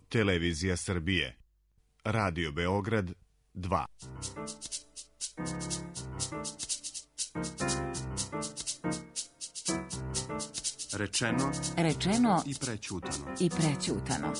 Televizija Srbije. Radio Beograd 2. Rečeno i prećutano.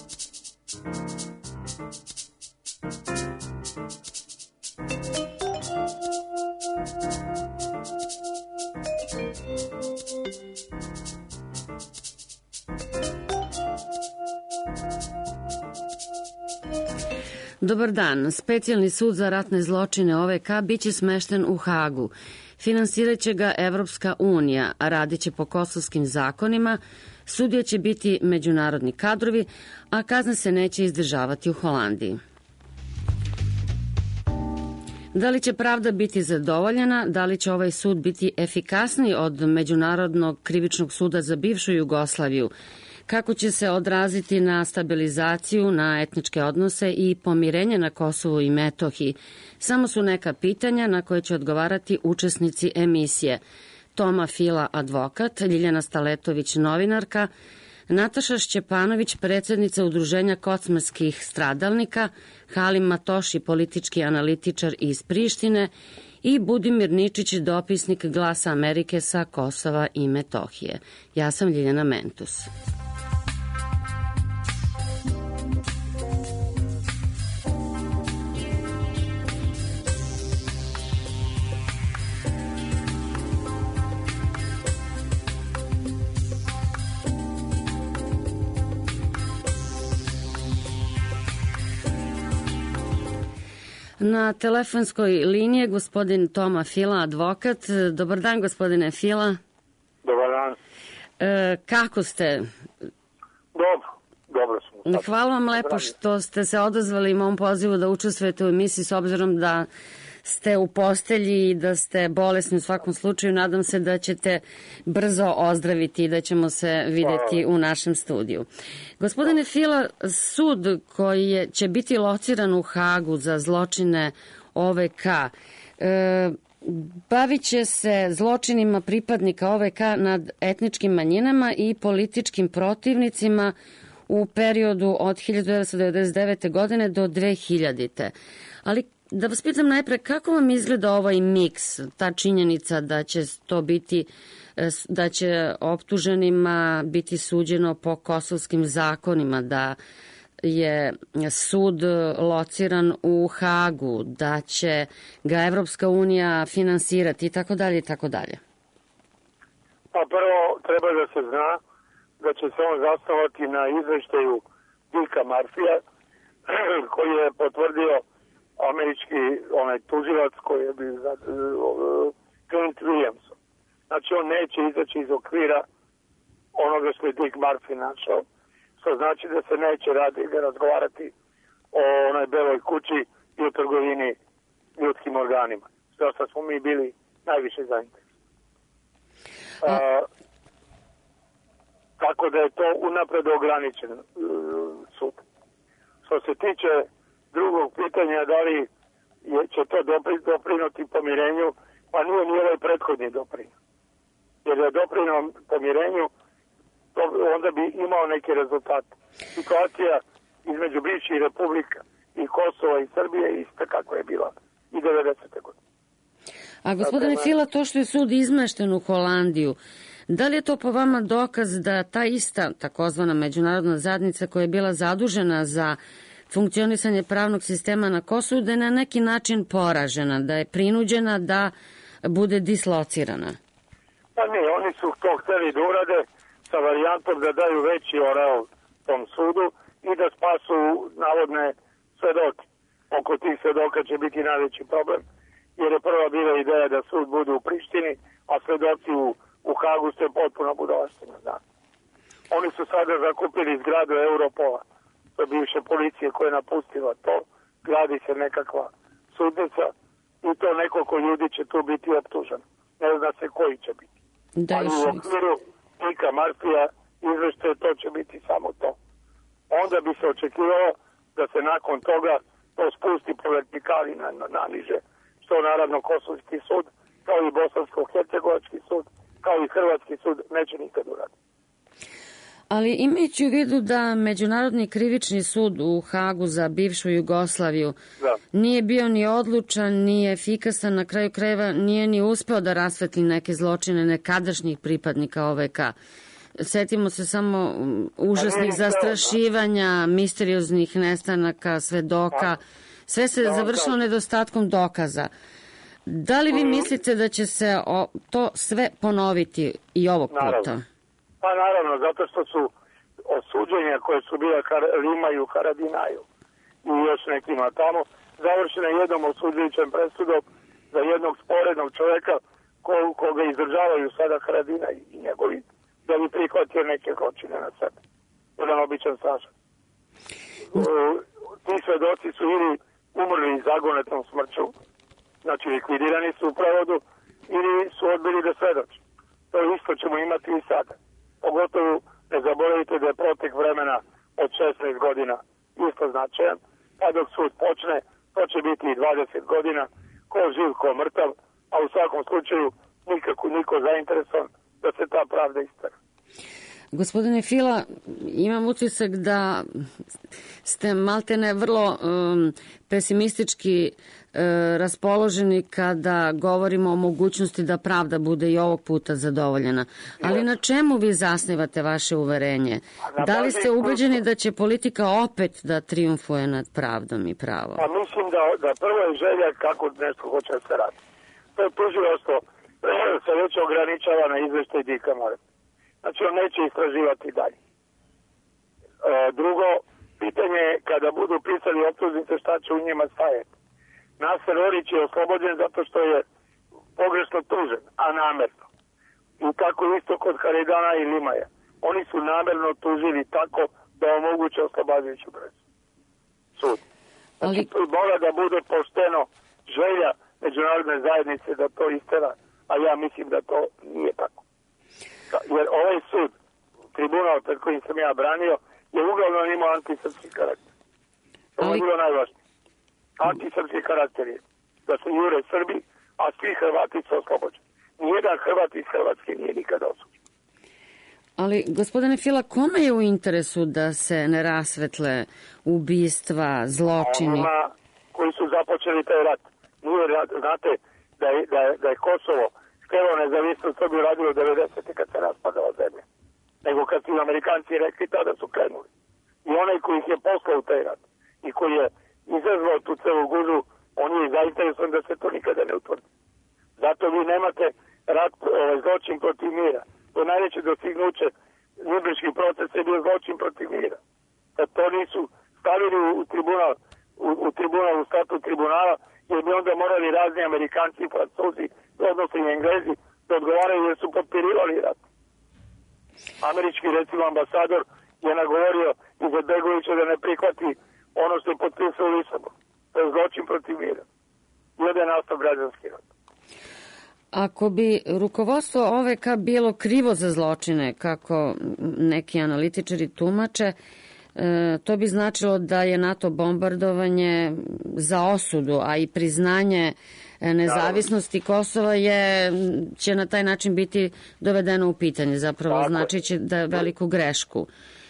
Dobar dan. Specijalni sud za ratne zločine OVK biće smešten u Hagu. Finansiraće ga Evropska unija, a radit će po kosovskim zakonima. Sudije će biti međunarodni kadrovi, a kazne se neće izdržavati u Holandiji. Da li će pravda biti zadovoljena? Da li će ovaj sud biti efikasniji od Međunarodnog krivičnog suda za bivšu Jugoslaviju? Kako će se odraziti na stabilizaciju, na etničke odnose i pomirenje na Kosovu i Metohiji? Samo su neka pitanja na koje će odgovarati učesnici emisije. Toma Fila, advokat, Ljiljana Staletović, novinarka, Nataša Šćepanović, predsjednica Udruženja kocmarskih stradalnika, Halim Matoši, politički analitičar iz Prištine i Budimir Ničić, dopisnik Glasa Amerike sa Kosova i Metohije. Ja sam Ljiljana Mentus. Na telefonskoj liniji je gospodin Toma Fila, advokat. Dobar dan, gospodine Fila. Dobar dan. Kako ste? Dobro smo. Hvala vam lepo što ste se odazvali mom pozivu da učestvujete u emisiji, s obzirom da ste u postelji i da ste bolesni u svakom slučaju. Nadam se da ćete brzo ozdraviti i da ćemo se videti u našem studiju. Gospodine Fila, sud koji će biti lociran u Hagu za zločine OVK bavit će se zločinima pripadnika OVK nad etničkim manjinama i političkim protivnicima u periodu od 1999. godine do 2000. Ali da vas pitam najpre, kako vam izgleda ovaj miks, ta činjenica da će to biti, da će optuženima biti suđeno po kosovskim zakonima, da je sud lociran u Hagu, da će ga Evropska unija finansirati i tako dalje i tako dalje? Pa prvo treba da se zna da će se on zasnovati na izveštaju Dicka Murphyja koji je potvrdio američki tužilac koji je bio Clint Williamson. Znači on neće izaći iz okvira onoga što je Dick Murphy našao, što znači da se neće razgovarati o onoj beloj kući i o trgovini ljudskim organima. Što smo mi bili najviše zainteresovani. Tako da je to unapred ograničen sud. Što se tiče drugog pitanja, da li će to doprinuti pomirenju, pa nije ni ovaj prethodni doprinut. Jer je doprinut pomirenju, onda bi imao neki rezultat. Situacija između bivših republika i Kosova i Srbije ista kako je bila i 90. godine. A gospodine Fila, to što je sud izmešten u Holandiju, da li je to po vama dokaz da ta ista takozvana međunarodna zajednica koja je bila zadužena za funkcionisanje pravnog sistema na Kosovu, da je na neki način poražena, da je prinuđena da bude dislocirana? Pa ne, oni su to hteli da urade sa varijantom da daju veći oreol tom sudu i da spasu navodne svedoke. Oko tih svedoka će biti najveći problem, jer je prva bila ideja da sud bude u Prištini, a svedoci u Hagu ste potpuno budalaština. Da. Oni su sada zakupili zgradu Europola, to je bivše policije koja je napustila to, gradi se nekakva sudnica i to nekoliko ljudi će tu biti optuženo. Ne zna se koji će biti. Ali u okviru Dicka Murphyja izvešte to će biti samo to. Onda bi se očekivalo da se nakon toga to spusti po vertikali na niže, što naravno Kosovski sud, kao i Bosansko-Hercegovački sud, kao i Hrvatski sud neće nikad uraditi. Ali imajući u vidu da Međunarodni krivični sud u Hagu za bivšu Jugoslaviju nije bio ni odlučan, ni efikasan, na kraju krajeva nije ni uspeo da rasvetli neke zločine nekadašnjih pripadnika OVK. Setimo se samo užasnih zastrašivanja, misterioznih nestanaka, svedoka. Sve se završilo nedostatkom dokaza. Da li vi mislite da će se to sve ponoviti i ovog puta? Pa naravno, zato što su osuđenja koje su bila Limaju, Haradinaju i još nekima tamo, završene jednom osuđujućem presudom za jednog sporednog čoveka koga izdržavaju sada Haradinaj i njegovi, da bi prihvatio neke zločine na sebe. Jedan običan Saša. Ti svedoci su ili umrli zagonetnom smrću, znači likvidirani su u prevodu, ili su odbili da svedoče. To isto ćemo imati i sada. Pogotovo ne zaboravite da je protek vremena od 16 godina isto značajan, pa dok sud počne, to će biti i 20 godina, ko živ, ko mrtav, a u svakom slučaju niko zainteresovan da se ta pravda istara. Gospodine Fila, imam utisak da ste maltene vrlo pesimistički raspoloženi kada govorimo o mogućnosti da pravda bude i ovog puta zadovoljena. Ali na čemu vi zasnivate vaše uverenje? Da li ste ubeđeni da će politika opet da trijumfuje nad pravdom i pravom? Pa mislim da prvo je želja kako nešto hoće da se radi. To je tužilaštvo se već ograničava na izveštaj Dika Mare. Znači on neće istraživati dalje. Drugo, pitanje je kada budu pisali optužnice šta će u njima stajati. Naser Orić je oslobođen zato što je pogrešno tužen, a namerno. I tako isto kod Haridana i Limaja. Oni su namerno tužili tako da omoguće oslobađajuću presudu. Sud. Znači mora da bude pošteno želja međunarodne zajednice da to istera, a ja mislim da to nije tako. Jer ovaj sud, tribunal pred kojim sam ja branio, je uglavnom imao antisrpski karakter. To je bilo najvažnije. Antisrpski karakter je da se jure Srbi, a svi Hrvati su oslobođeni. Nijedan Hrvat iz Hrvatske nije nikada osuđen. Ali, gospodine Fila, kome je u interesu da se ne rasvetle ubistva, zločini? Onima koji su započeli taj rat. Nije, znate da je Kosovo htjelo nezavisnost, to bi radilo 90. kad se raspadala zemlja. Nego kad su Amerikanci rekli, tada su krenuli. I onaj koji ih je poslao u taj rat i koji je izazvao tu celu gužu, on je zainteresovan da se to nikada ne utvrdi. Zato vi nemate rat, zločin protiv mira. To najveće dostignuće Nürnberški proces je bio zločin protiv mira. Kad to nisu stavili u tribunal, u statut tribunala, jer bi onda morali razni Amerikanci i Francuzi, odnosno i Englezi, da odgovaraju jer su potpirivali rat. Američki, recimo, ambasador je nagovorio Izetbegovića da ne prihvati ono što je potpisao u Lisabonu. To je zločin protiv mira. I onda je nastao građanski rat. Ako bi rukovodstvo OVK bilo krivo za zločine, kako neki analitičari tumače, to bi značilo da je NATO bombardovanje za osudu, a i priznanje nezavisnosti Kosova će na taj način biti dovedeno u pitanje. Zapravo znači će da je veliku grešku.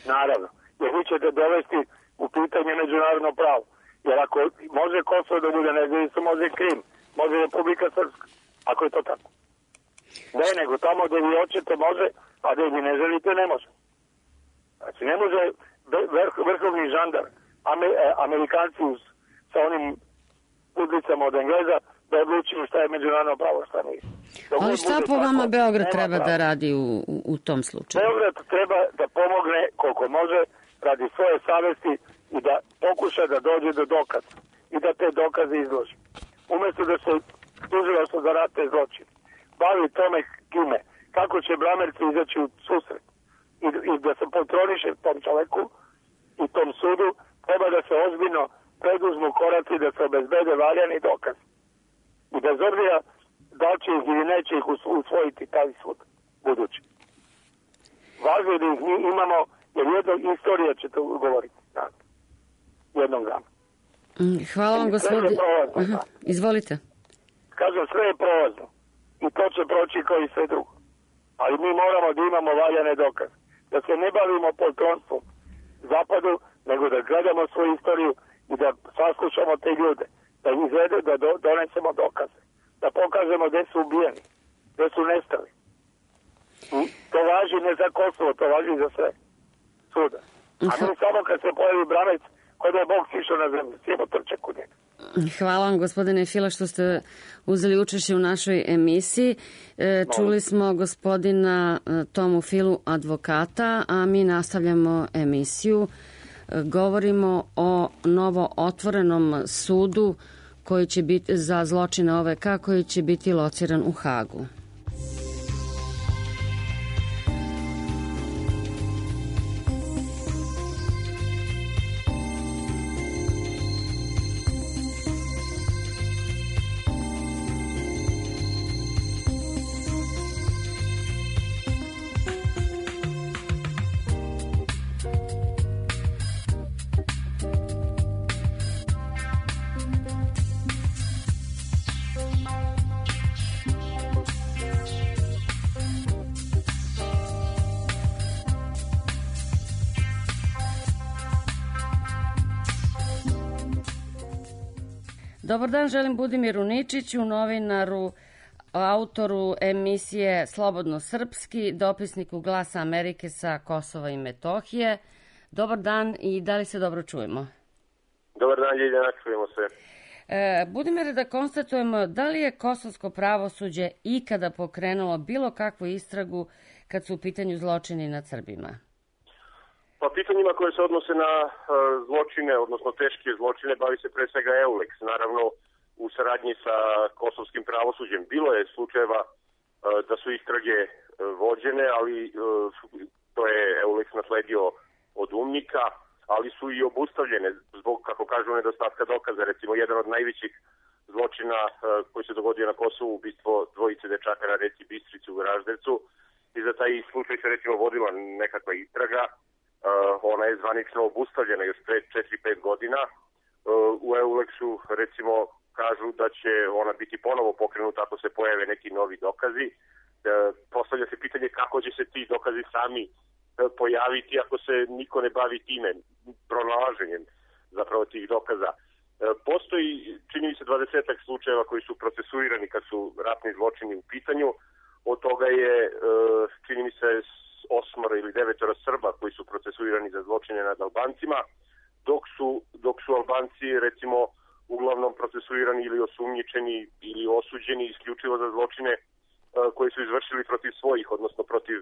Naravno, jer vi ćete dovesti u pitanje međunarodno pravo. Jer ako može Kosovo da bude nezavisno, može Krim, može Republika Srpska. Ako je to tako. Ne, nego tamo gde vi hoćete može, a gde vi ne želite ne može. Znači ne može vrhovni žandar, Amerikanci sa onim udlicama od Engleza, da odlučuju šta je međunarodno pravo, šta nije. Ali šta po vama Beograd treba da radi u tom slučaju? Beograd treba da pomogne koliko može radi svoje savesti i da pokuša da dođe do dokaza i da te dokaze izloži. Umesto da se tužilaštvo za ratne zločine bavi tome kime, kako će blamerci izaći u susret i da se kontroliše tom čoveku i tom sudu, treba da se ozbiljno preduzmu koraci da se obezbede valjani dokaz. I bez obzira da će ih ili neće ih usvojiti taj sud budući. Važno je da ih imamo, jer jednog istorija će to govoriti. Jednog dana. Hvala vam, gospodine. Izvolite. Kažem, sve je prolazno. I to će proći kao i sve drugo. Ali mi moramo da imamo valjane dokaze. da se ne bavimo poltronstvom zapadu, nego da gledamo svoju istoriju i da saslušamo te ljude, da izvedu, da donesemo dokaze, da pokažemo gde su ubijeni, gde su nestali. To važi ne za Kosovo, to važi za sve svuda. A mi samo kad se pojavi Branec, kod je Bog sišao na zemlju, sjemo trče kod njega. Hvala vam, gospodine Fila, što ste uzeli učešće u našoj emisiji. Čuli smo gospodina Tomu Filu, advokata, a mi nastavljamo emisiju. Govorimo o novo otvorenom sudu koji će biti za zločine OVK, koji će biti lociran u Hagu. Dobar dan, želim Budimiru Ničiću, novinaru, autoru emisije Slobodno srpski, dopisniku Glasa Amerike sa Kosova i Metohije. Dobar dan i da li se dobro čujemo? Dobar dan, Ljiljana, čujemo se. Budimire, da konstatujemo, da li je kosovsko pravosuđe ikada pokrenulo bilo kakvu istragu kad su u pitanju zločini nad Srbima? Pa pitanjima koje se odnose na zločine, odnosno teške zločine, bavi se pre svega EULEX, naravno u saradnji sa kosovskim pravosuđem. Bilo je slučajeva da su istrage vođene, ali to je EULEX nasledio od UNMIK-a, ali su i obustavljene zbog, kako kažu, nedostatka dokaza. Recimo, jedan od najvećih zločina koji se dogodio na Kosovu, ubistvo dvojice dečaka na reci Bistrici u Goraždevcu, i za taj slučaj se recimo vodila nekakva istraga. Ona je zvanično obustavljena još pre 4-5 godina. U EULEX-u recimo kažu da će ona biti ponovo pokrenuta ako se pojave neki novi dokazi. Postavlja se pitanje kako će se ti dokazi sami pojaviti ako se niko ne bavi time, pronalaženjem zapravo tih dokaza. Postoji, čini mi se, 20 slučajeva koji su procesuirani kad su ratni zločini u pitanju. Od toga je, čini mi se, 8 ili 9 Srba koji su procesuirani za zločine nad Albancima, dok su Albanci recimo uglavnom procesuirani ili osumnjičeni ili osuđeni isključivo za zločine koji su izvršili protiv svojih, odnosno protiv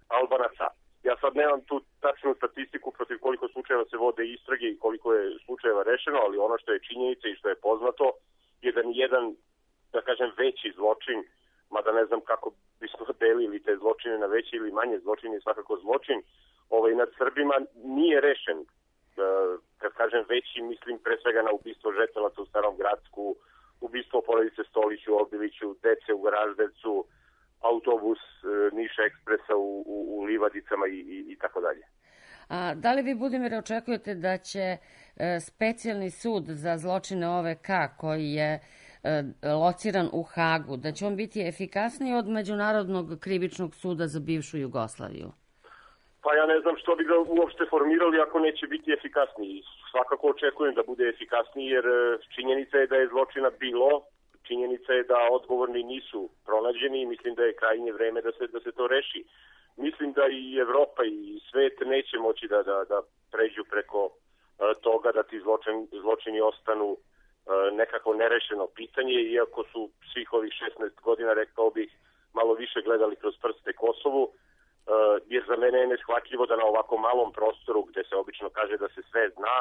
Albanaca. Ja sad nemam tu tačnu statistiku protiv koliko slučajeva se vode istrage i koliko je slučajeva rešeno, ali ono što je činjenica i što je poznato je da nijedan, da kažem, veći zločin, mada ne znam kako bismo delili te zločine na veće ili manje zločine, svakako zločin nad Srbima nije rešen. Kad kažem veći, mislim pre svega na ubistvo žetelaca u Starom Gradsku, ubistvo porodice Stolić u Obiliću, dece u Goraždevcu, autobus Niša Ekspresa u Livadicama i tako dalje. A da li vi, Budimire, očekujete da će specijalni sud za zločine OVK koji je lociran u Hagu, da će on biti efikasniji od Međunarodnog krivičnog suda za bivšu Jugoslaviju? Pa ja ne znam što bi ga uopšte formirali ako neće biti efikasniji. Svakako očekujem da bude efikasniji jer činjenica je da je zločina bilo, činjenica je da odgovorni nisu pronađeni i mislim da je krajnje vreme da se to reši. Mislim da i Evropa i svet neće moći da pređu preko toga da ti zločini ostanu nekako nerešeno pitanje, iako su svih ovih 16 godina, rekao bih, malo više gledali kroz prste Kosovu, jer za mene je neshvatljivo da na ovako malom prostoru, gde se obično kaže da se sve zna,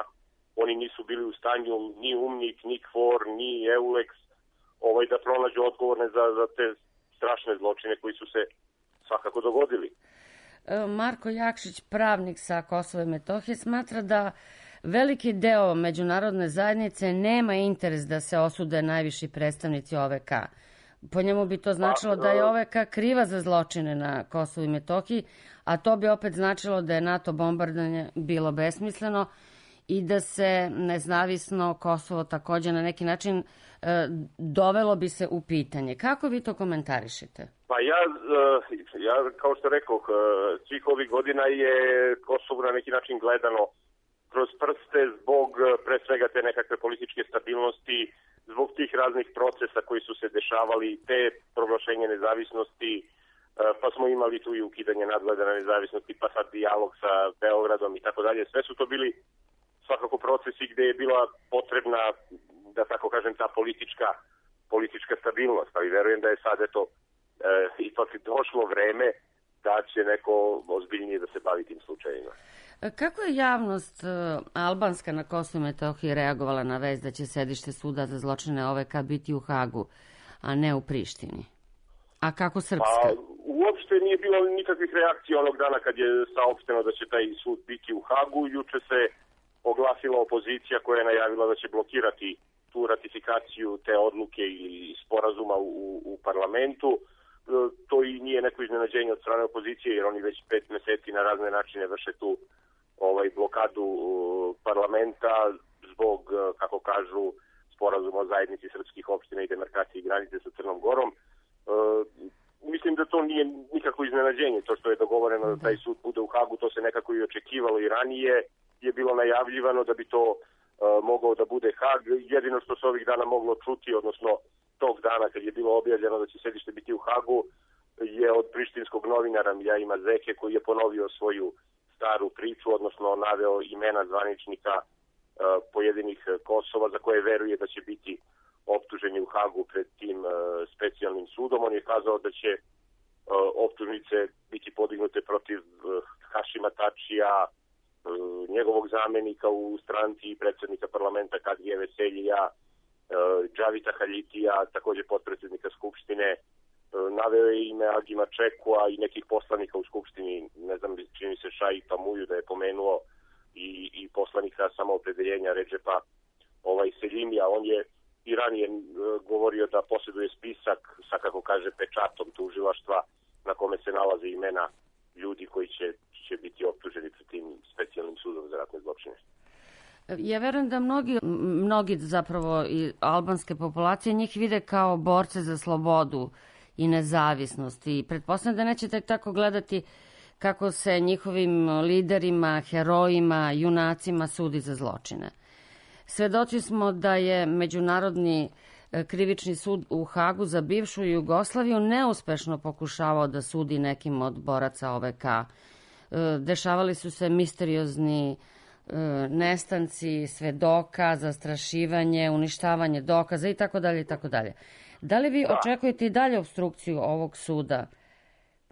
oni nisu bili u stanju ni UNMIK, ni KFOR, ni EULEX, da pronađu odgovorne za te strašne zločine koji su se svakako dogodili. Marko Jakšić, pravnik sa Kosova i Metohije, smatra da veliki deo međunarodne zajednice nema interes da se osude najviši predstavnici OVK. Po njemu bi to značilo da je OVK kriva za zločine na Kosovu i Metohiji, a to bi opet značilo da je NATO bombardanje bilo besmisleno i da se nezavisno Kosovo takođe na neki način dovelo bi se u pitanje. Kako vi to komentarišete? Pa ja kao što rekao, svih ovih godina je Kosovo na neki način gledano kroz prste zbog pre svega te nekakve političke stabilnosti, zbog tih raznih procesa koji su se dešavali, te proglašenje nezavisnosti, pa smo imali tu i ukidanje nadgleda na nezavisnosti, pa sad dijalog sa Beogradom i tako dalje. Sve su to bili svakako procesi gde je bila potrebna, da tako kažem, ta politička stabilnost, ali verujem da je sad ipak došlo vreme da će neko ozbiljnije da se bavi tim slučajima. Kako je javnost albanska na Kosovu i Metohiji reagovala na vest da će sedište suda za zločine OVK biti u Hagu, a ne u Prištini? A kako srpska? Pa, uopšte nije bilo nikakvih reakcija onog dana kad je saopšteno da će taj sud biti u Hagu. Juče se oglasila opozicija koja je najavila da će blokirati tu ratifikaciju te odluke i sporazuma u parlamentu. To i nije neko iznenađenje od strane opozicije, jer oni već 5 meseci na razne načine vrše tu blokadu parlamenta zbog, kako kažu, sporazuma o zajednici srpskih opština i demarkacije granice sa Crnom Gorom. Mislim da to nije nikako iznenađenje, to što je dogovoreno da taj sud bude u Hagu, to se nekako i očekivalo i ranije je bilo najavljivano da bi to mogao da bude Hag. Jedino što se ovih dana moglo čuti, odnosno tog dana kad je bilo objavljeno da će sedište biti u Hagu, je od prištinskog novinara Miljajima Zeke, koji je ponovio svoju staru priču, odnosno naveo imena zvaničnika pojedinih Kosova za koje veruje da će biti optuženi u Hagu pred tim specijalnim sudom. On je kazao da će optužnice biti podignute protiv Hašima Tačija, njegovog zamenika u stranci i predsjednika parlamenta Kadrije Veseljija, Džavita Haljitija, takođe potpredsjednika Skupštine. Naveo je ime Agima Čekua i nekih poslanika u Skupštini, ne znam, čini se Šaji Pamuju da je pomenuo i poslanika samoopredeljenja Redžepa Seljimija. On je i ranije govorio da posjeduje spisak sa, kako kaže, pečatom tužilaštva na kome se nalaze imena ljudi koji će biti optuženi pred tim specijalnim sudom za ratne zločine. Ja verujem da mnogi zapravo i albanske populacije njih vide kao borce za slobodu i nezavisnost i pretpostavljam da nećete tako gledati kako se njihovim liderima, herojima, junacima sudi za zločine. Svedoci smo da je Međunarodni krivični sud u Hagu za bivšu Jugoslaviju neuspešno pokušavao da sudi nekim od boraca OVK. Dešavali su se misteriozni nestanci svedoka, zastrašivanje, uništavanje dokaza i tako dalje i tako dalje. Da li vi očekujete i dalje obstrukciju ovog suda?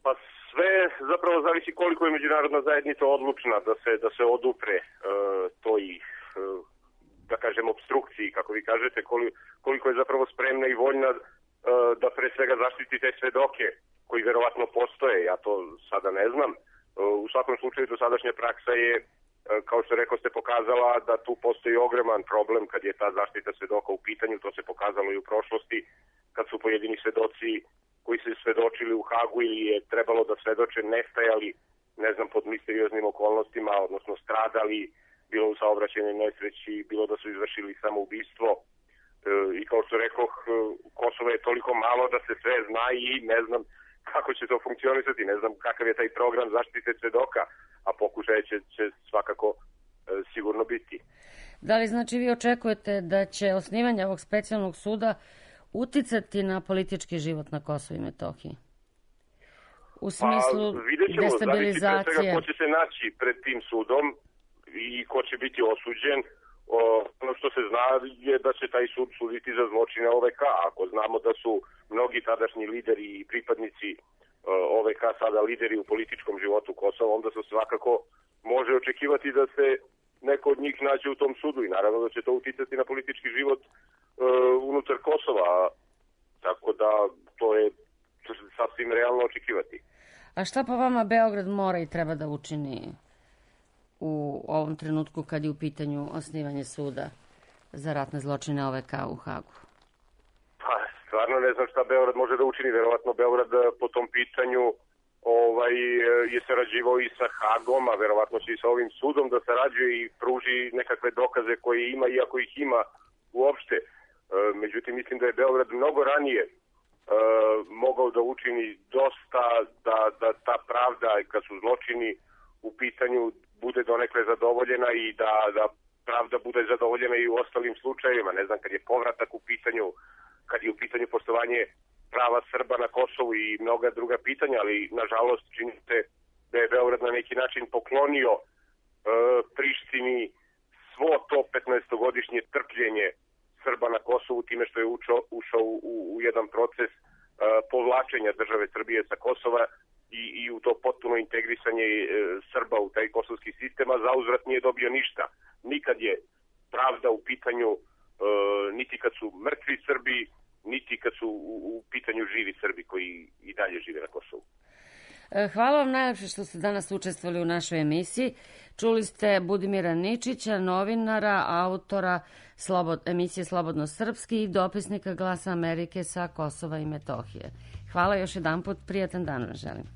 Pa sve zapravo zavisi koliko je međunarodna zajednica odlučna da se odupre toj, da kažem, obstrukciji, kako vi kažete, koliko je zapravo spremna i voljna da pre svega zaštiti te svedoke koji verovatno postoje. Ja to sada ne znam. U svakom slučaju dosadašnja praksa je, kao što rekao ste, pokazala da tu postoji ogroman problem kad je ta zaštita svedoka u pitanju. To se pokazalo i u prošlosti kad su pojedini svedoci koji se svedočili u Hagu ili je trebalo da svedoče nestajali, ne znam, pod misterioznim okolnostima, odnosno stradali, bilo u saobraćajnoj nesreći, bilo da su izvršili samoubistvo. I kao što rekoh, Kosovo je toliko malo da se sve zna i ne znam kako će to funkcionisati, ne znam kakav je taj program zaštite svedoka, a pokušaje će svakako sigurno biti. Da li znači vi očekujete da će osnivanje ovog specijalnog suda uticati na politički život na Kosovu i Metohiji? U smislu destabilizacije? Pre svega ko će se naći pred tim sudom i ko će biti osuđen. Ono što se zna je da će taj sud suditi za zločine OVK. Ako znamo da su mnogi tadašnji lideri i pripadnici OVK sada lideri u političkom životu Kosova, onda se svakako može očekivati da se neko od njih nađe u tom sudu i naravno da će to uticati na politički život unutar Kosova. Tako da to je sasvim realno očekivati. A šta po vama Beograd mora i treba da učini u ovom trenutku kad je u pitanju osnivanje suda za ratne zločine OVK u Hagu? Pa, stvarno ne znam šta Beograd može da učini. Verovatno Beograd po tom pitanju je sarađivao i sa Hagom, a verovatno će i sa ovim sudom da sarađuje i pruži nekakve dokaze koje ima, iako ih ima uopšte. Međutim, mislim da je Beograd mnogo ranije mogao da učini dosta da ta pravda, kad su zločini u pitanju, bude donekle zadovoljena i da pravda bude zadovoljena i u ostalim slučajevima. Ne znam, kad je povratak u pitanju, kad je u pitanju poštovanje prava Srba na Kosovu i mnoga druga pitanja, ali nažalost čini se da je Beograd na neki način poklonio Prištini svo to 15-godišnje trpljenje Srba na Kosovu time što je ušao u jedan proces povlačenja države Srbije sa Kosova i u to potpuno integrisanje Srba u taj kosovski sistem, a zauzvrat nije dobio ništa. Nikad je pravda u pitanju, niti kad su mrtvi Srbi, niti kad su u pitanju živi Srbi koji i dalje žive na Kosovu. Hvala vam najlepše što ste danas učestvovali u našoj emisiji. Čuli ste Budimira Ničića, novinara, autora emisije Slobodno srpski i dopisnika Glasa Amerike sa Kosova i Metohije. Hvala još jedanput, prijatan dan vam želim.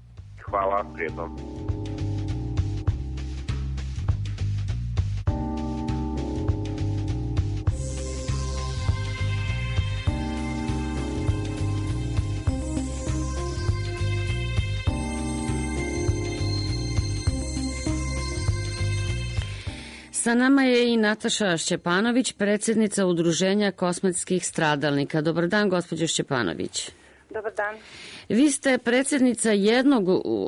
Hvala, prijetno. Sa nama je i Nataša Šćepanović, predsjednica Udruženja kosmetskih stradalnika. Dobar dan, gospođo Šćepanović. Dobar dan. Vi ste predsjednica jednog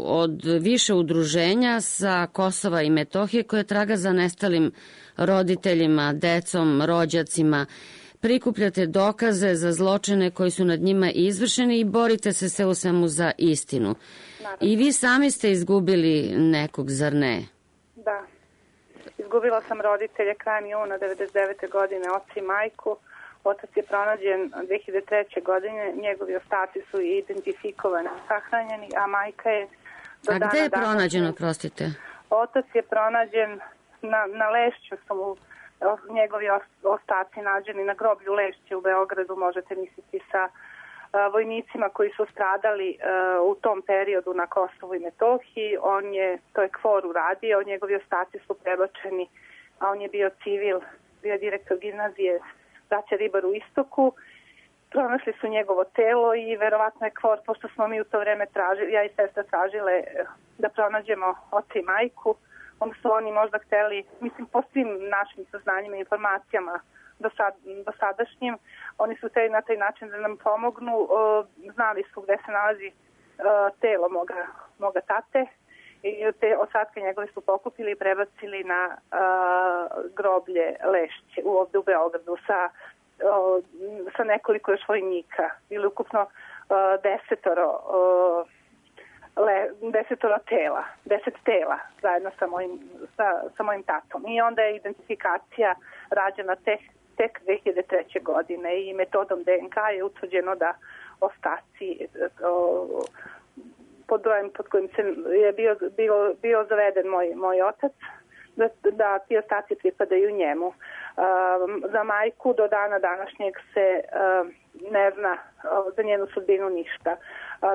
od više udruženja sa Kosova i Metohije koje traga za nestalim roditeljima, decom, rođacima. Prikupljate dokaze za zločine koji su nad njima izvršeni i borite se sve u svemu za istinu. Naravno. I vi sami ste izgubili nekog, zar ne? Da. Izgubila sam roditelje krajem juna 1999. godine, oca i majku. Otac je pronađen 2003. godine, njegovi ostaci su identifikovani, sahranjeni, a majka je do dana... A gde je pronađen, prostite? Otac je pronađen na Lešću, su mu njegovi ostaci nađeni na groblju Lešće u Beogradu, možete misliti sa vojnicima koji su stradali u tom periodu na Kosovu i Metohiji. To je KFOR uradio, njegovi ostaci su prebačeni, a on je bio civil, bio direktor gimnazije braća Ribar u Istoku. Pronašli su njegovo telo i verovatno je KFOR, pošto smo mi u to vreme tražili, ja i sestra tražile da pronađemo oca i majku, onda su oni možda hteli, mislim po svim našim saznanjima i informacijama do sadašnjim, oni su hteli na taj način da nam pomognu, znali su gde se nalazi telo moga tate i te ostatke njegove su pokupili i prebacili na groblje Lešće ovde u Beogradu sa nekoliko još vojnika. Ili ukupno 10 tela zajedno sa mojim tatom. I onda je identifikacija rađena tek 2003. godine i metodom DNK je utvrđeno da ostaci pod brojem pod kojim je bio zaveden moj otac, da ti ostaci pripadaju njemu. Za majku do dana današnjeg se ne zna za njenu sudbinu ništa.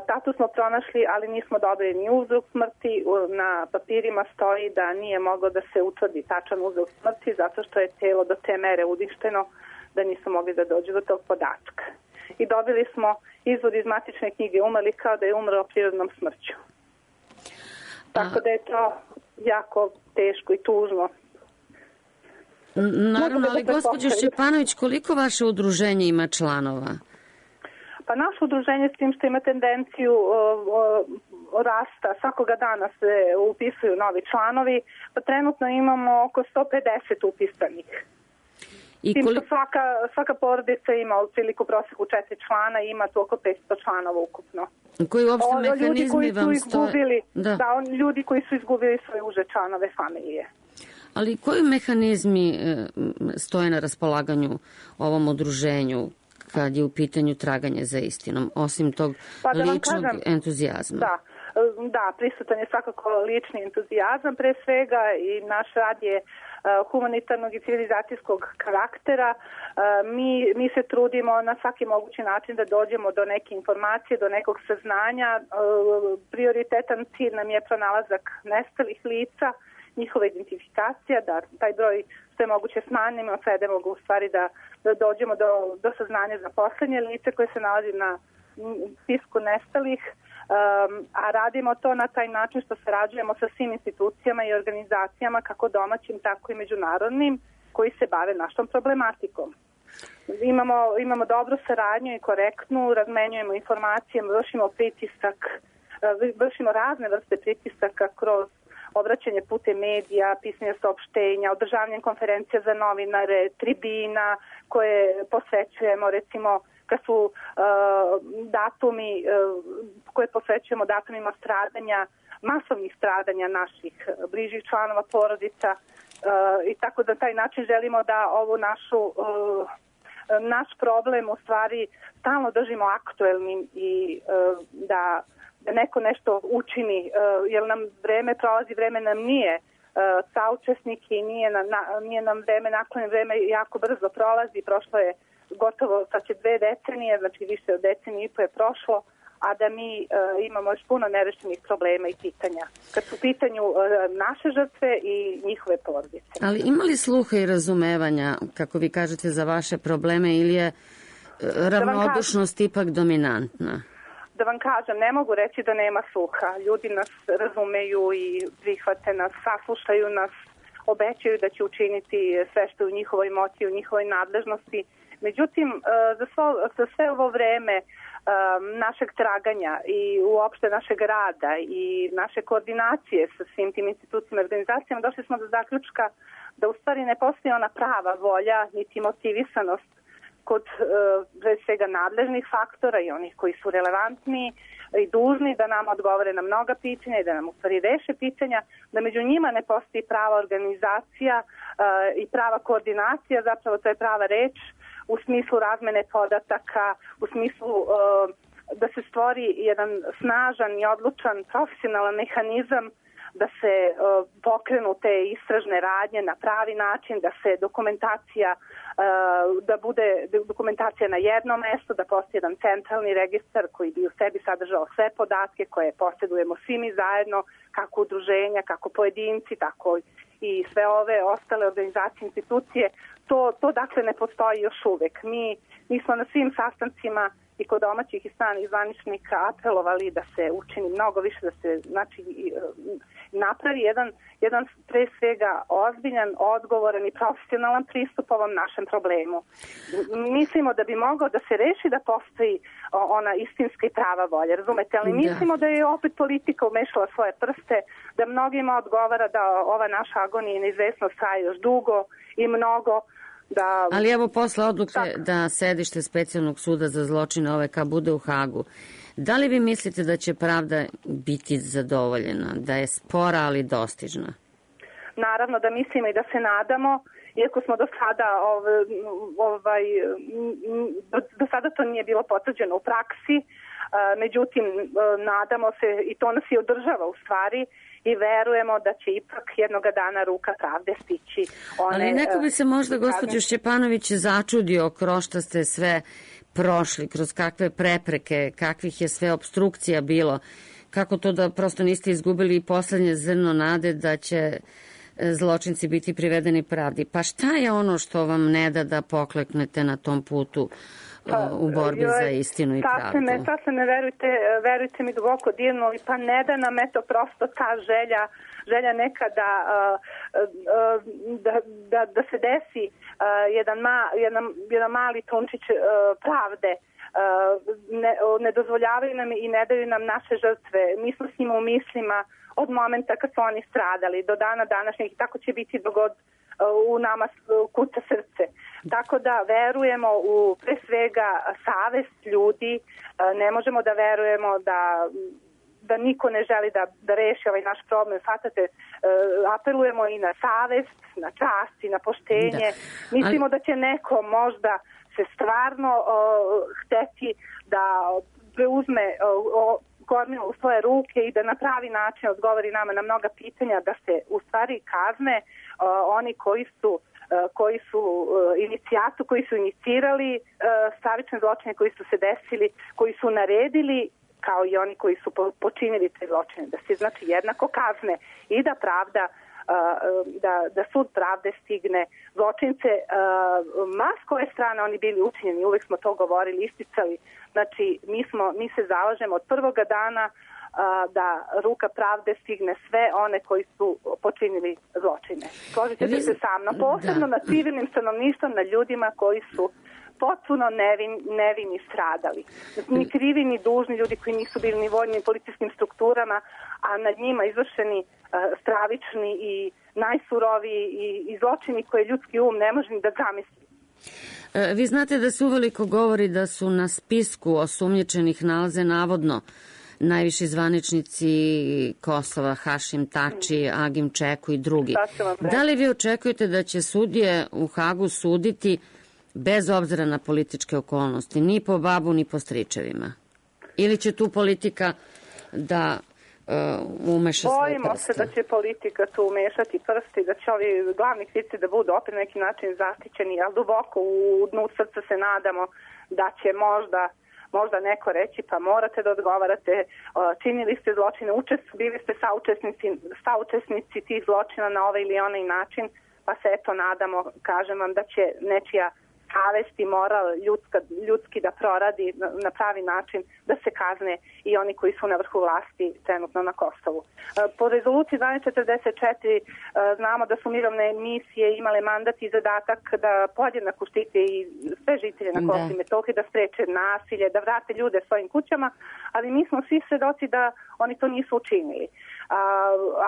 Tatu smo pronašli, ali nismo dobili ni uzrok smrti. Na papirima stoji da nije moglo da se utvrdi tačan uzrok smrti zato što je telo do te mere uništeno da nisu mogli da dođu do tog podatka. I dobili smo izvod iz matične knjige umrli kao da je umro prirodnom smrću. Tako da je to jako teško i tužno. Naravno, ali gospođo Šćepanović, koliko vaše udruženje ima članova? Pa naše udruženje s tim što ima tendenciju rasta, svakoga dana se upisuju novi članovi, pa trenutno imamo oko 150 upisanih. S tim što svaka porodica ima otprilike u proseku 4 člana i ima tu oko 500 članova ukupno. Koji uopšte mehanizmi vam stoje? Ljudi koji su izgubili svoje uže članove familije. Ali koji mehanizmi stoje na raspolaganju ovom udruženju kad je u pitanju traganje za istinom, osim tog ličnog entuzijazma? Da, prisutan je svakako lični entuzijazam pre svega i naš rad je humanitarnog i civilizacijskog karaktera. Mi se trudimo na svaki mogući način da dođemo do neke informacije, do nekog saznanja. Prioritetan cilj nam je pronalazak nestalih lica, njihova identifikacija, da taj broj što je moguće smanjimo, svedemo ga u stvari da dođemo do saznanja za poslednje lice koje se nalazi na spisku nestalih, a radimo to na taj način što sarađujemo sa svim institucijama i organizacijama, kako domaćim, tako i međunarodnim, koji se bave našom problematikom. Imamo dobru saradnju i korektnu, razmenjujemo informacije, vršimo razne vrste pritisaka kroz obraćanje putem medija, pisanje saopštenja, održavanje konferencija za novinare, tribina koje posvećujemo, recimo kad su datumi koje posvećujemo datumima stradanja, masovnih stradanja naših bližih članova porodica i tako da taj način želimo da ovu naš problem u stvari stalno držimo aktuelnim i da neko nešto učini, jer nam vreme prolazi, vreme nam nije saučesnik i nije nam vreme naklonjeno, vreme jako brzo prolazi, prošlo je gotovo sad će 2 decenije, znači više od decenije i po je prošlo, a da mi imamo još puno nerešenih problema i pitanja. Kad su u pitanju naše žrtve i njihove porodice. Ali ima li sluha i razumevanja, kako vi kažete, za vaše probleme ili je ravnodušnost ipak dominantna? Da vam kažem, ne mogu reći da nema sluha. Ljudi nas razumeju i prihvate nas, saslušaju nas, obećaju da će učiniti sve što je u njihovoj moći, u njihovoj nadležnosti. Međutim, za sve ovo vreme našeg traganja i uopšte našeg rada i naše koordinacije sa svim tim institucijama i organizacijama došli smo do zaključka da u stvari ne postoji ona prava volja niti motivisanost kod pre svega nadležnih faktora i onih koji su relevantni i dužni da nam odgovore na mnoga pitanja i da nam u stvari reše pitanja, da među njima ne postoji prava organizacija i prava koordinacija, zapravo to je prava reč, u smislu razmene podataka, u smislu da se stvori jedan snažan i odlučan profesionalan mehanizam da se pokrenu te istražne radnje na pravi način, da se da bude dokumentacija na jednom mestu, da postoji jedan centralni registar koji bi u sebi sadržao sve podatke koje posjedujemo svi mi zajedno, kako udruženja, kako pojedinci, tako i sve ove ostale organizacije, institucije. To dakle ne postoji još uvek. Mi smo na svim sastancima i kod domaćih i stranih zvaničnika apelovali da se učini mnogo više, da se napravi jedan pre svega ozbiljan, odgovoran i profesionalan pristup ovom našem problemu. Mislimo da bi mogao da se reši da postoji ona istinska i prava volja, razumete? Ali mislimo da je opet politika umešala svoje prste, da mnogima odgovara da ova naša agonija i neizvesnost traje još dugo i mnogo. Ali evo posle odluke da sedište Specijalnog suda za zločine OVK bude u Hagu, da li vi mislite da će pravda biti zadovoljena, da je spora ali dostižna? Naravno da mislimo i da se nadamo, iako smo do sada to nije bilo potvrđeno u praksi, međutim nadamo se i to nas i održava u stvari i verujemo da će ipak jednoga dana ruka pravde stići. Ali neko bi se možda, gospođo Šćepanović, začudio kroz šta ste sve prošli, kroz kakve prepreke, kakvih je sve obstrukcija bilo, kako to da prosto niste izgubili poslednje zrno nade da će zločinci biti privedeni pravdi. Pa šta je ono što vam ne da da pokleknete na tom putu u borbi za istinu i pravdu? Sad se ne verujte mi duboko dirnuli, pa ne da nam eto prosto ta želja neka da se desi jedan mali trunčić pravde. Ne dozvoljavaju nam i ne daju nam naše žrtve. Mi smo s njima u mislima od momenta kad su oni stradali do dana današnjeg i tako će biti dok god u nama kuca srce. Tako da verujemo u pre svega savest ljudi, ne možemo da verujemo da niko ne želi da reši ovaj naš problem. Svatate, apelujemo i na savest, na čast i na poštenje. Mislimo da će neko možda se stvarno hteti da preuzme kormilo u svoje ruke i da na pravi način odgovori nama na mnoga pitanja, da se u stvari kazne oni koji su inicirali stravične zločine koji su se desili, koji su naredili, kao i oni koji su počinili te zločine, da se znači jednako kazne i da pravda da sud pravde stigne zločince, ma s koje strane oni bili učinjeni, uvek smo to govorili, isticali. Znači, mi se zalažemo od prvoga dana da ruka pravde stigne sve one koji su počinili zločine. Složite se sa mnom, posebno na civilnim stanovništvom, na ljudima koji su potpuno nevini stradali. Ni krivi, ni dužni ljudi koji nisu bili ni vojnim policijskim strukturama, a nad njima izvršeni stravični i najsuroviji i zločini koje ljudski um ne može ni da zamisli. Vi znate da se uveliko govori da su na spisku osumnjičenih nalaze navodno najviši zvaničnici Kosova, Hašim Tači, Agim Čeku i drugi. Da li vi očekujete da će sudije u Hagu suditi bez obzira na političke okolnosti, ni po babu, ni po stričevima? Ili će tu politika da umeša svoje prste? Bojimo se da će politika tu umešati prste i da će ovi glavni krivci da budu opet na neki način zaštićeni, ali duboko u dnu srca se nadamo da će možda neko reći pa morate da odgovarate, činili ste zločine, bili ste saučesnici tih zločina na ovaj ili onaj način, pa se eto nadamo, kažem vam, da će nečija savest i moral ljudski da proradi na pravi način, da se kazne i oni koji su na vrhu vlasti trenutno na Kosovu. Po rezoluciji 1244 znamo da su mirovne misije imale mandat i zadatak da podjednako štite i sve žitelje na Kosovu i Metohiji, da spreče nasilje, da vrate ljude svojim kućama, ali mi smo svi svedoci da oni to nisu učinili.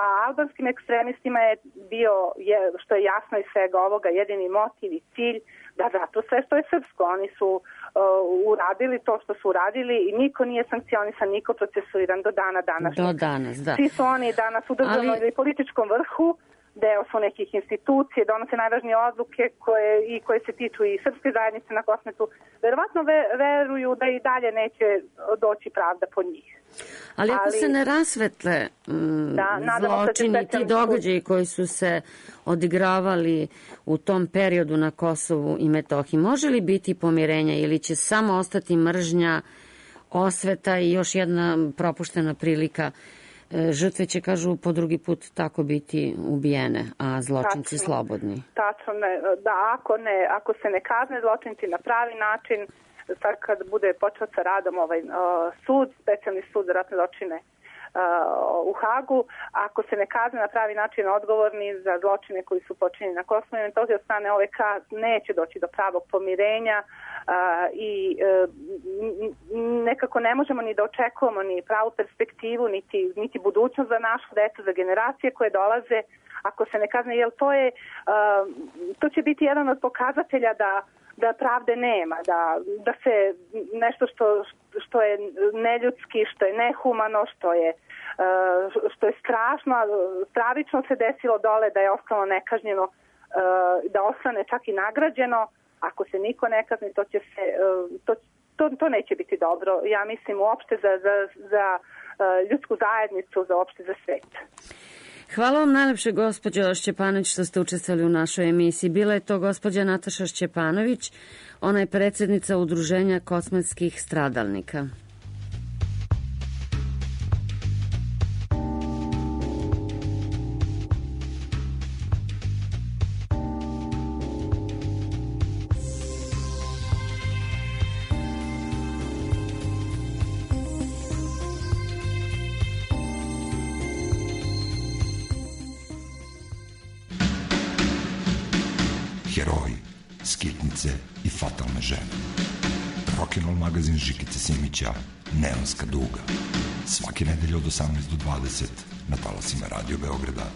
A albanskim ekstremistima je bio, što je jasno iz svega ovoga, jedini motiv i cilj da vratu sve što je srpsko. Oni su uradili to što su uradili i niko nije sankcionisan, niko procesuiran do dana današnjeg. Do danas, da. Svi su oni danas u državnom ili političkom vrhu, deo su nekih institucije, donose najvažnije odluke koje se tiču i srpske zajednice na Kosmetu. Verovatno veruju da i dalje neće doći pravda po njih. Ali ako se ne rasvetle zločini, ti događaji koji su se odigravali u tom periodu na Kosovu i Metohiji, može li biti pomirenja ili će samo ostati mržnja, osveta i još jedna propuštena prilika? Žrtve će, kažu, po drugi put tako biti ubijene, a zločinci slobodni. Tačno, da ako se ne kazne zločinci na pravi način, sad kad bude počeo sa radom ovaj sud, specijalni sud za ratne zločine u Hagu, ako se ne kazne na pravi način odgovorni za zločine koji su počinjeni na Kosovu i Metohiji od strane OVK, neće doći do pravog pomirenja i nekako ne možemo ni da očekujemo ni pravu perspektivu, niti budućnost za našu decu, za generacije koje dolaze, ako se ne kazne, jer to će biti jedan od pokazatelja da pravde nema, da se nešto što je neljudski, što je nehumano, što je strašno, stravično se desilo dole, da je ostalo nekažnjeno, da ostane čak i nagrađeno. Ako se niko ne kazni, to neće biti dobro. Ja mislim uopšte za ljudsku zajednicu, uopšte za svet. Hvala vam najlepše, gospođo Šćepanović, što ste učestvovali u našoj emisiji. Bila je to gospođa Nataša Šćepanović, ona je predsjednica Udruženja kosmetskih stradalnika. Heroji, skitnice i fatalne žene. Rock'n'roll magazin Žikice Simića, Neonska duga. Svake nedelje od 18 do 20 na talasima Radio Beograda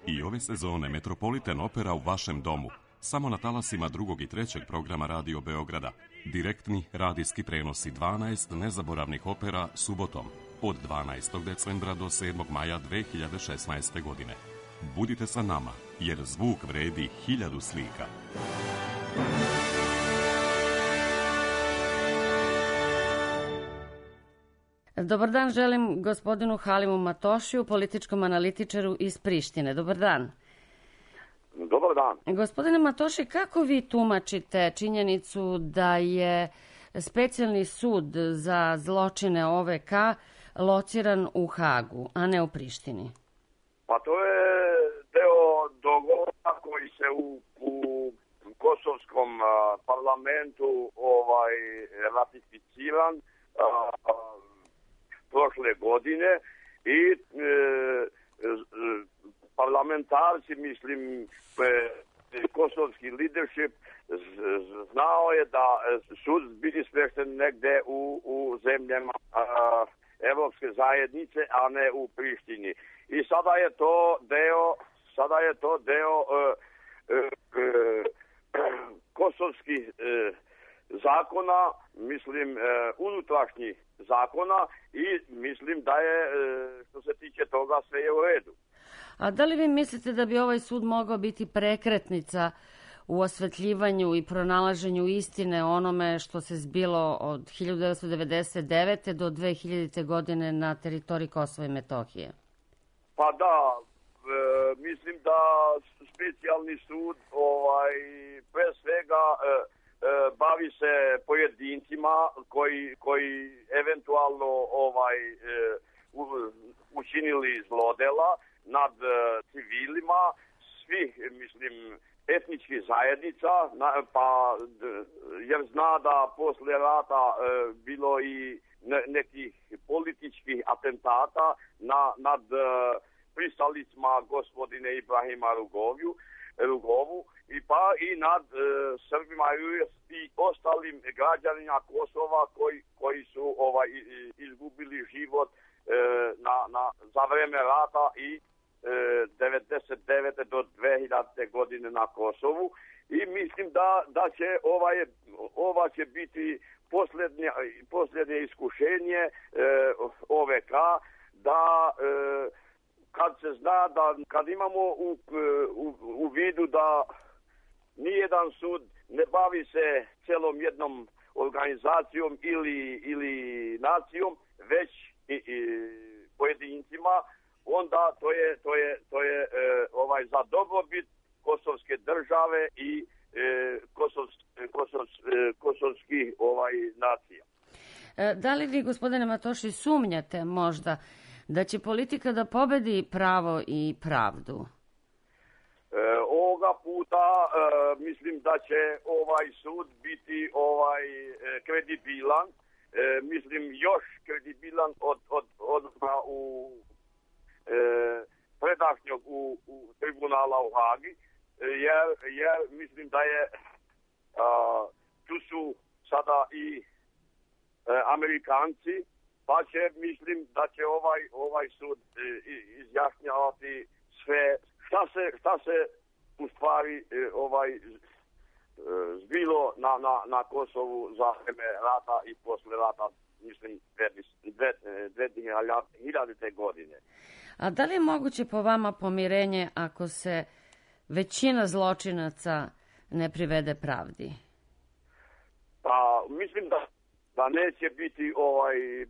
2. I ove sezone Metropolitan Opera u vašem domu. Samo na talasima 2. i 3. programa Radio Beograda. Direktni radijski prenosi 12 nezaboravnih opera subotom od 12. decembra do 7. maja 2016. godine. Budite sa nama, jer zvuk vredi 1000 slika. Dobar dan, želim gospodinu Halimu Matošiju, političkom analitičaru iz Prištine. Dobar dan. Dobar dan. Gospodine Matoši, kako vi tumačite činjenicu da je specijalni sud za zločine OVK lociran u Hagu, a ne u Prištini? Pa to je deo dogovora koji se u kosovskom parlamentu ratificiran prošle godine i parlamentarci, mislim, kosovski leadership znao je da sud biti smješten negde u zemljama Evropske zajednice, a ne u Prištini. I sada je to deo kosovskih zakona, mislim, unutrašnjih zakona i mislim da je, što se tiče toga, sve je u redu. A da li vi mislite da bi ovaj sud mogao biti prekretnica u osvetljivanju i pronalaženju istine onome što se zbilo od 1999. do 2000. godine na teritoriji Kosova i Metohije? Pa da, mislim da specijalni sud pre svega bavi se pojedincima koji eventualno učinili zlodela nad civilima svih, mislim, etničkih zajednica, jer zna da posle rata bilo i nekih političkih atentata nad pristalicima gospodine Ibrahima Rugovu i nad Srbima i ostalim građanima Kosova koji su izgubili život za vreme rata i 99. do 2000. godine na Kosovu. I mislim da će ova će biti posljednje iskušenje OVK da kad se zna da kad imamo u vidu da nijedan sud ne bavi se celom jednom organizacijom ili nacijom, već pojedincima, onda to je za dobrobit kosovske države i kosovskih nacija. Da li vi, gospodine Matoši, sumnjate možda da će politika da pobedi pravo i pravdu? Ovoga puta mislim da će ovaj sud biti kredibilan, mislim još kredibilan od predašnjog u tribunala u Hagi, jer mislim da je tu su sada i Amerikanci, pa mislim da će ovaj sud izjašnjavati sve šta se u stvari zbilo na Kosovu za vreme rata i posle rata, mislim, 2000. godine. A da li je moguće po vama pomirenje ako se većina zločinaca ne privede pravdi? Pa mislim da neće biti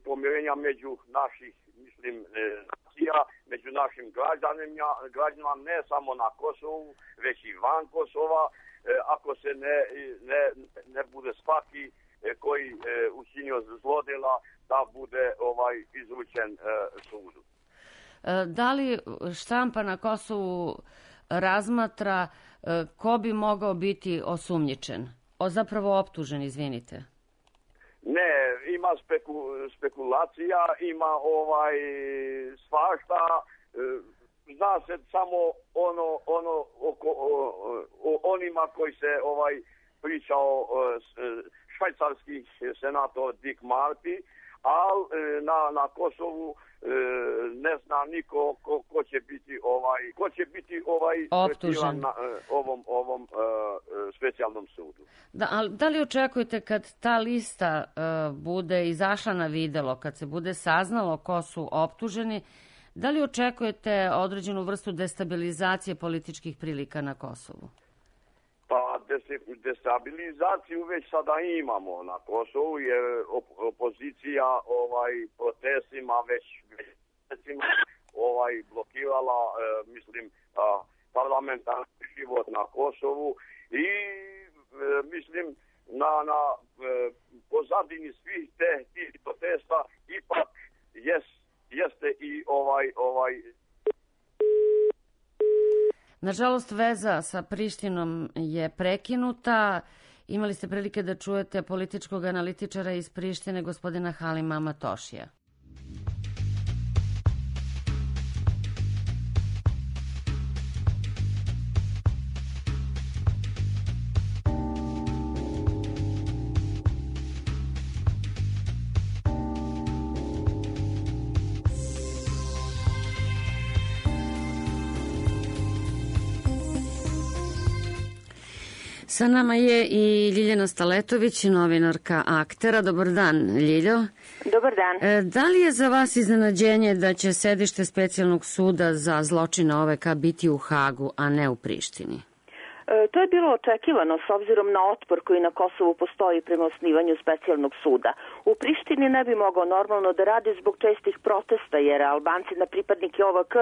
pomirenja među naših, mislim, nacija, među našim građanima, ne samo na Kosovu, već i van Kosova, ako se ne bude svaki koji učinio zlodela da bude izručen sudu. Da li štampa na Kosovu razmatra ko bi mogao biti osumnjičen? Zapravo optužen, izvinite. Ne, ima spekulacija, ima svašta, zna se samo ono o onima koji se pričao švajcarski senator Dick Marty, ali na Kosovu ne zna niko ko će biti optužen na ovom specijalnom sudu. Da li očekujete kad ta lista bude izašla na videlo, kad se bude saznalo ko su optuženi, da li očekujete određenu vrstu destabilizacije političkih prilika na Kosovu? Pa destabilizaciju već sada imamo na Kosovu, jer opozicija protestima već blokirala, mislim, parlamentarni život na Kosovu i mislim na pozadini svih tih protesta ipak jeste i Nažalost, veza sa Prištinom je prekinuta. Imali ste prilike da čujete političkog analitičara iz Prištine, gospodina Halima Matošija. Sa nama je i Ljiljana Staletović, novinarka Aktera. Dobar dan, Ljiljo. Dobar dan. Da li je za vas iznenađenje da će sedište Specijalnog suda za zločine OVK biti u Hagu, a ne u Prištini? To je bilo očekivano s obzirom na otpor koji na Kosovu postoji prema osnivanju specijalnog suda. U Prištini ne bi mogao normalno da radi zbog čestih protesta, jer Albanci na pripadnike OVK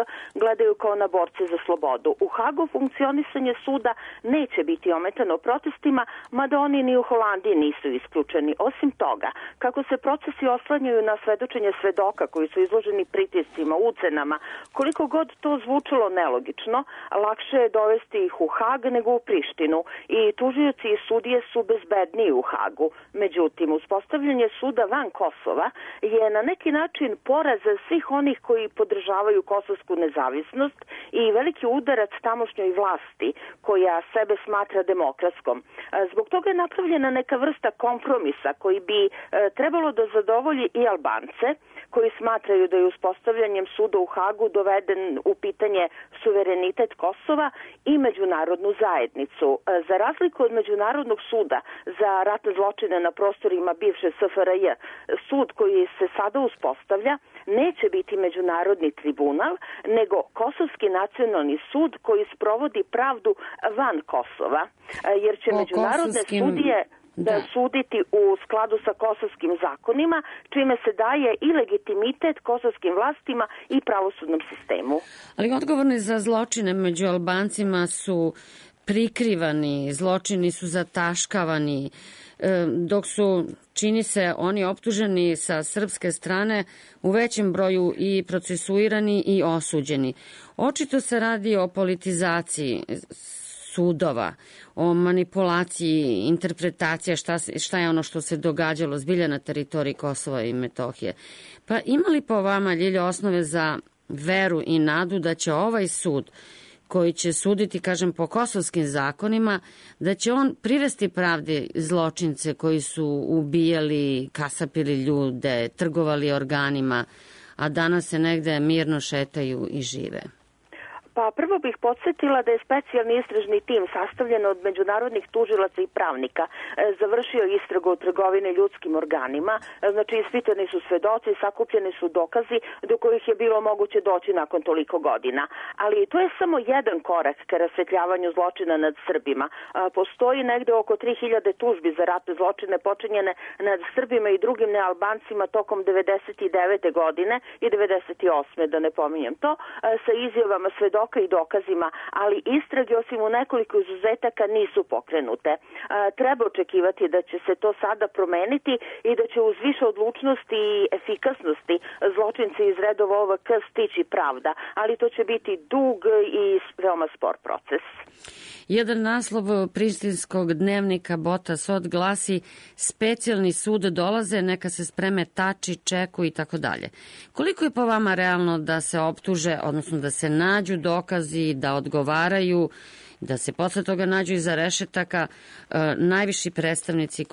gledaju kao na borce za slobodu. U Hagu funkcionisanje suda neće biti ometano protestima, mada oni ni u Holandiji nisu isključeni. Osim toga, kako se procesi oslanjaju na svedočenje svedoka koji su izloženi pritiscima, ucenama, koliko god to zvučalo nelogično, lakše je dovesti ih u Hag nego u Prištinu i tužioci i sudije su bezbedniji u Hagu. Međutim, uspostavljanje suda van Kosova je na neki način poraz svih onih koji podržavaju kosovsku nezavisnost i veliki udarac tamošnjoj vlasti koja sebe smatra demokratskom. Zbog toga je napravljena neka vrsta kompromisa koji bi trebalo da zadovolji i Albance, koji smatraju da je uspostavljanjem suda u Hagu doveden u pitanje suverenitet Kosova i međunarodnu zajednicu. Za razliku od Međunarodnog suda za ratne zločine na prostorima bivše SFRJ, sud koji se sada uspostavlja neće biti međunarodni tribunal, nego Kosovski nacionalni sud koji sprovodi pravdu van Kosova, jer će međunarodne sudije suditi u skladu sa kosovskim zakonima, čime se daje i legitimitet kosovskim vlastima i pravosudnom sistemu. Ali odgovorni za zločine među Albancima su prikrivani, zločini su zataškavani, dok su, čini se, oni optuženi sa srpske strane u većem broju i procesuirani i osuđeni. Očito se radi o politizaciji sudova, o manipulaciji, interpretacija šta je ono što se događalo zbilja na teritoriji Kosova i Metohije. Pa ima li po vama, Ljiljo, osnove za veru i nadu da će ovaj sud, koji će suditi, kažem, po kosovskim zakonima, da će on privesti pravdi zločince koji su ubijali, kasapili ljude, trgovali organima, a danas se negde mirno šetaju i žive? Pa prvo bih podsjetila da je specijalni istražni tim sastavljen od međunarodnih tužilaca i pravnika završio istragu o trgovini ljudskim organima, znači ispitani su svedoci, sakupljeni su dokazi do kojih je bilo moguće doći nakon toliko godina. Ali to je samo jedan korak ka rasvetljavanju zločina nad Srbima. Postoji negde oko 3000 tužbi za ratne zločine počinjene nad Srbima i drugim nealbancima tokom 99. godine i 98. da ne pominjem to, sa izjavama svedoka i dokazima, ali istrage osim u nekoliko izuzetaka nisu pokrenute. Treba očekivati da će se to sada promeniti i da će uz više odlučnosti i efikasnosti zločinci iz redova OVK stići pravda, ali to će biti dug i veoma spor proces. Jedan naslov prištinskog dnevnika Bota Sot glasi: specijalni sud dolaze, neka se spreme tači, čeku i tako dalje. Koliko je po vama realno da se optuže, odnosno da se nađu dokazi, da odgovaraju, da se posle toga nađu iza rešetaka najviši predstavnici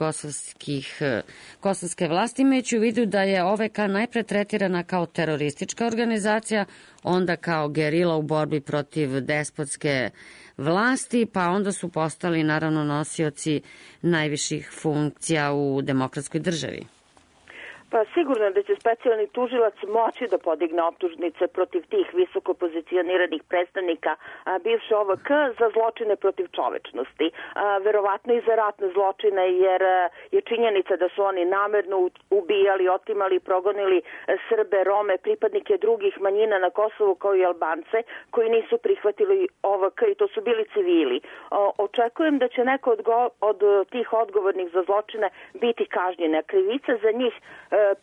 kosovske vlasti, imajući u vidu da je OVK najpre tretirana kao teroristička organizacija, onda kao gerila u borbi protiv despotske vlasti, pa onda su postali naravno nosioci najviših funkcija u demokratskoj državi? Pa sigurno da će specijalni tužilac moći da podigne optužnice protiv tih visoko pozicioniranih predstavnika bivše OVK za zločine protiv čovečnosti. Verovatno i za ratne zločine, jer je činjenica da su oni namerno ubijali, otimali, progonili Srbe, Rome, pripadnike drugih manjina na Kosovu kao i Albance koji nisu prihvatili OVK i to su bili civili. Očekujem da će neko od tih odgovornih za zločine biti kažnjena. Krivica za njih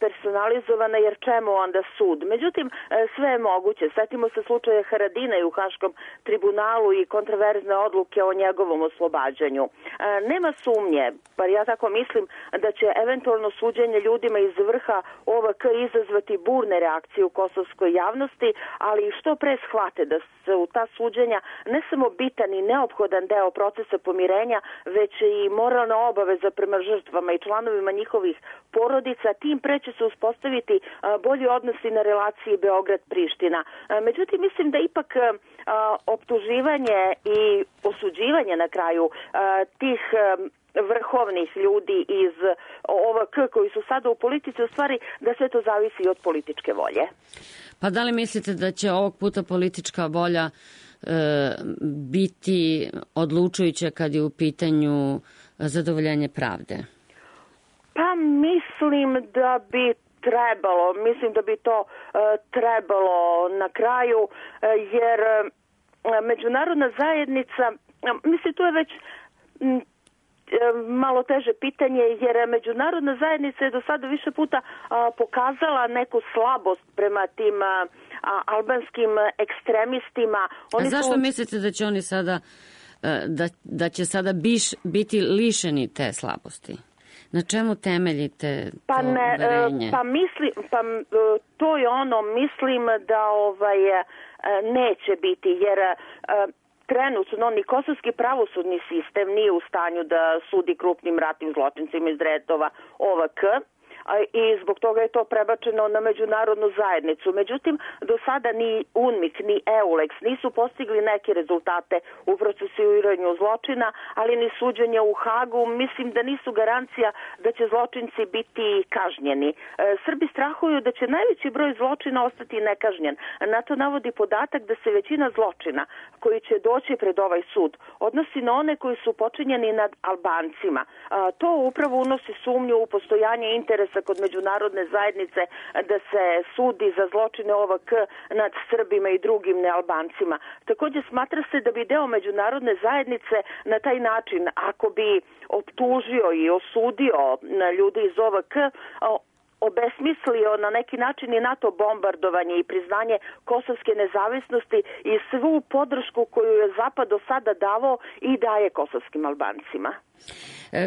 personalizovana, jer čemu onda sud? Međutim, sve je moguće. Sjetimo se slučaja Haradina u Haškom tribunalu i kontraverzne odluke o njegovom oslobađanju. Nema sumnje, bar ja tako mislim, da će eventualno suđenje ljudima iz vrha OVK izazvati burne reakcije u kosovskoj javnosti, ali što pre shvate da se u ta suđenja ne samo bitan i neophodan deo procesa pomirenja, već i moralna obaveza prema žrtvama i članovima njihovih porodica, tim pre će se uspostaviti bolji odnosi na relaciji Beograd-Priština. Međutim, mislim da ipak optuživanje i osuđivanje na kraju tih vrhovnih ljudi iz OVK koji su sada u politici, u stvari da sve to zavisi i od političke volje. Pa da li mislite da će ovog puta politička volja biti odlučujuća kad je u pitanju zadovoljenje pravde? Pa mislim da bi trebalo. Mislim da bi to trebalo na kraju, jer međunarodna zajednica, mislim, to je već malo teže pitanje, jer međunarodna zajednica je do sada više puta pokazala neku slabost prema tim albanskim ekstremistima. A zašto mislite da će oni sada da će sada biti lišeni te slabosti? Na čemu temeljite to uverenje? To je ono, mislim da neće biti, jer trenutno ni kosovski pravosudni sistem nije u stanju da sudi krupnim ratnim zločincima iz redova OVK, i zbog toga je to prebačeno na međunarodnu zajednicu. Međutim, do sada ni UNMIK ni EULEX nisu postigli neke rezultate u procesuiranju zločina, ali ni suđenje u Hagu. Mislim da nisu garancija da će zločinci biti kažnjeni. Srbi strahuju da će najveći broj zločina ostati nekažnjen. Na to navodi podatak da se većina zločina koji će doći pred ovaj sud odnosi na one koji su počinjeni nad Albancima. To upravo unosi sumnju u postojanje interesa kod međunarodne zajednice da se sudi za zločine OVK nad Srbima i drugim nealbancima. Također smatra se da bi deo međunarodne zajednice na taj način, ako bi optužio i osudio ljudi iz OVK, obesmislio na neki način i NATO bombardovanje i priznanje kosovske nezavisnosti i svu podršku koju je Zapad do sada davao i daje kosovskim Albancima.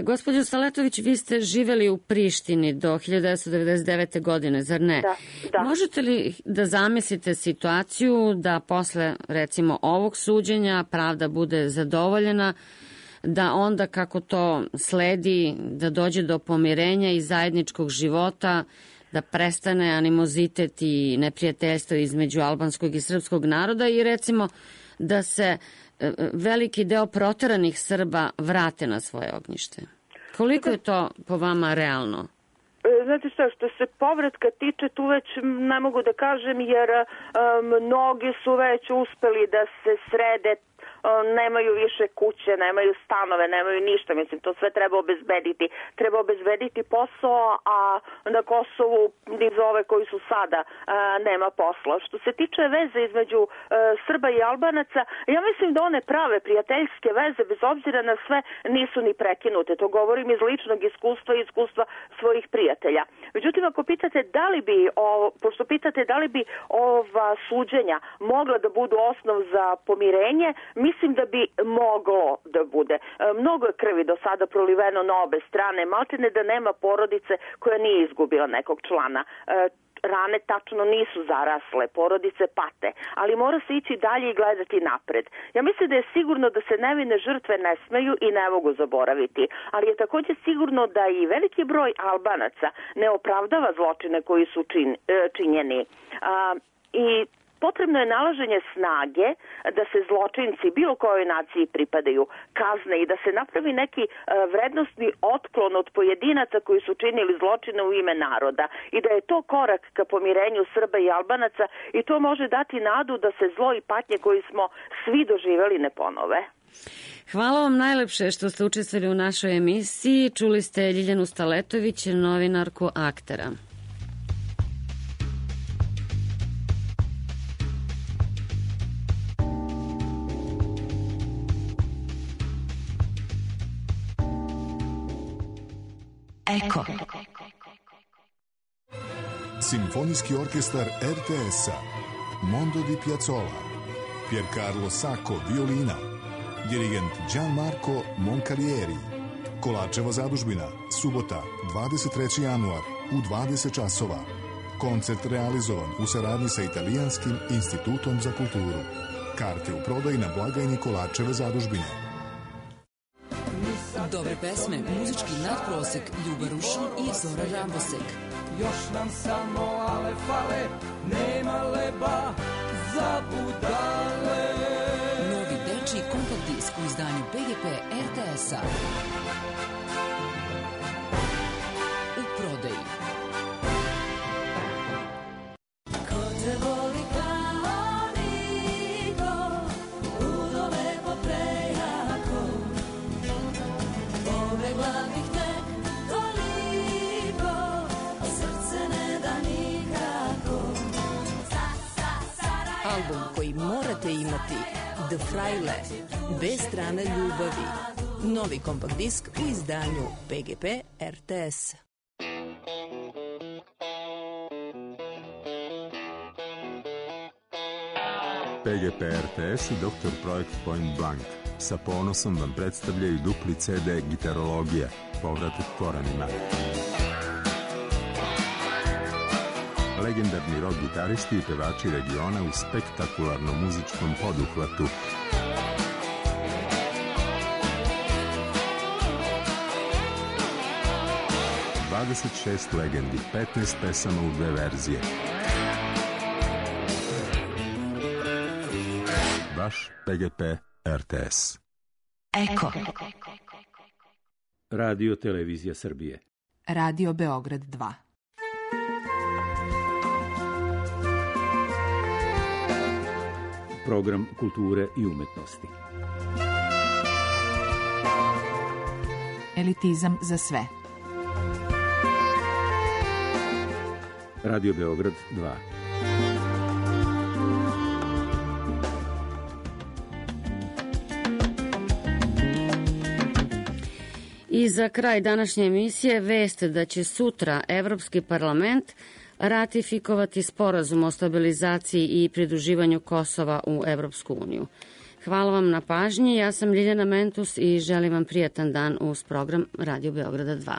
Gospođo Staletović, vi ste živeli u Prištini do 1999. godine, zar ne? Da. Možete li da zamislite situaciju da posle, recimo, ovog suđenja pravda bude zadovoljena, da onda kako to sledi, da dođe do pomirenja i zajedničkog života, da prestane animozitet i neprijateljstvo između albanskog i srpskog naroda i recimo da se veliki deo proteranih Srba vrate na svoje ognjište? Koliko je to po vama realno? Znate što se povratka tiče, tu već ne mogu da kažem, jer mnogi su već uspeli da se srede, nemaju više kuće, nemaju stanove, nemaju ništa, mislim, to sve treba obezbediti. Treba obezbediti posao, a na Kosovu niz ove koji su sada nema posla. Što se tiče veze između Srba i Albanaca, ja mislim da one prave prijateljske veze, bez obzira na sve, nisu ni prekinute. To govorim iz ličnog iskustva i iskustva svojih prijatelja. Međutim, ako pitate da li bi ova suđenja mogla da budu osnov za pomirenje, mislim da bi moglo da bude. Mnogo je krvi do sada proliveno na obe strane, maltene da nema porodice koja nije izgubila nekog člana. Rane tačno nisu zarasle, porodice pate, ali mora se ići dalje i gledati napred. Ja mislim da je sigurno da se nevine žrtve ne smeju i ne mogu zaboraviti, ali je također sigurno da i veliki broj Albanaca ne opravdava zločine koji su činjeni. I Potrebno je nalaženje snage da se zločinci bilo kojoj naciji pripadaju kazne i da se napravi neki vrednostni otklon od pojedinaca koji su činili zločine u ime naroda i da je to korak ka pomirenju Srba i Albanaca i to može dati nadu da se zlo i patnje koji smo svi doživeli ne ponove. Hvala vam najlepše što ste učestvovali u našoj emisiji. Čuli ste Ljiljanu Staletović, novinarku Aktera. Eko. Simfonijski orkestar RTS-a, Mondo di Piazzolla, Piercarlo Sacco, violina, dirigent Gianmarco Moncalieri. Kolačeva zadužbina, subota, 23. januar, u 20 časova. Koncert realizovan u saradnji sa Italijanskim institutom za kulturu. Karte u prodaji na blagajni Kolačeve zadužbine. Dobre pesme, muzički nadprosek, Ljuba Rušin i Zora Rambosek. Još nam samo ale fale, nema leba za budale. Novi dečiji kompakt disk u izdanju BGP RTS-a. U prodaji. Ko te voli kao niko, ludo lepo prejako. Pobegla bih te toliko, a srce ne da nikako. Album koji morate imati, The Fraile, bez strane ljubavi. Novi kompakt disk u izdanju PGP RTS. PGP RTS i Dr. Projekt Point Blank sa ponosom vam predstavljaju dupli CD Gitarologija, povratak korenima. Legendarni rock gitaristi i pevači regiona u spektakularnom muzičkom poduhvatu. ...26 legendi, 15 pesama u 2 verzije. Vaš PGP RTS. Eko. Radio Televizija Srbije. Radio Beograd 2. Program kulture i umetnosti. Elitizam za sve. Radio Beograd 2. I za kraj današnje emisije vest da će sutra Evropski parlament ratifikovati sporazum o stabilizaciji i pridruživanju Kosova u Evropsku uniju. Hvala vam na pažnji, ja sam Ljiljana Mentus i želim vam prijatan dan uz program Radio Beograda 2.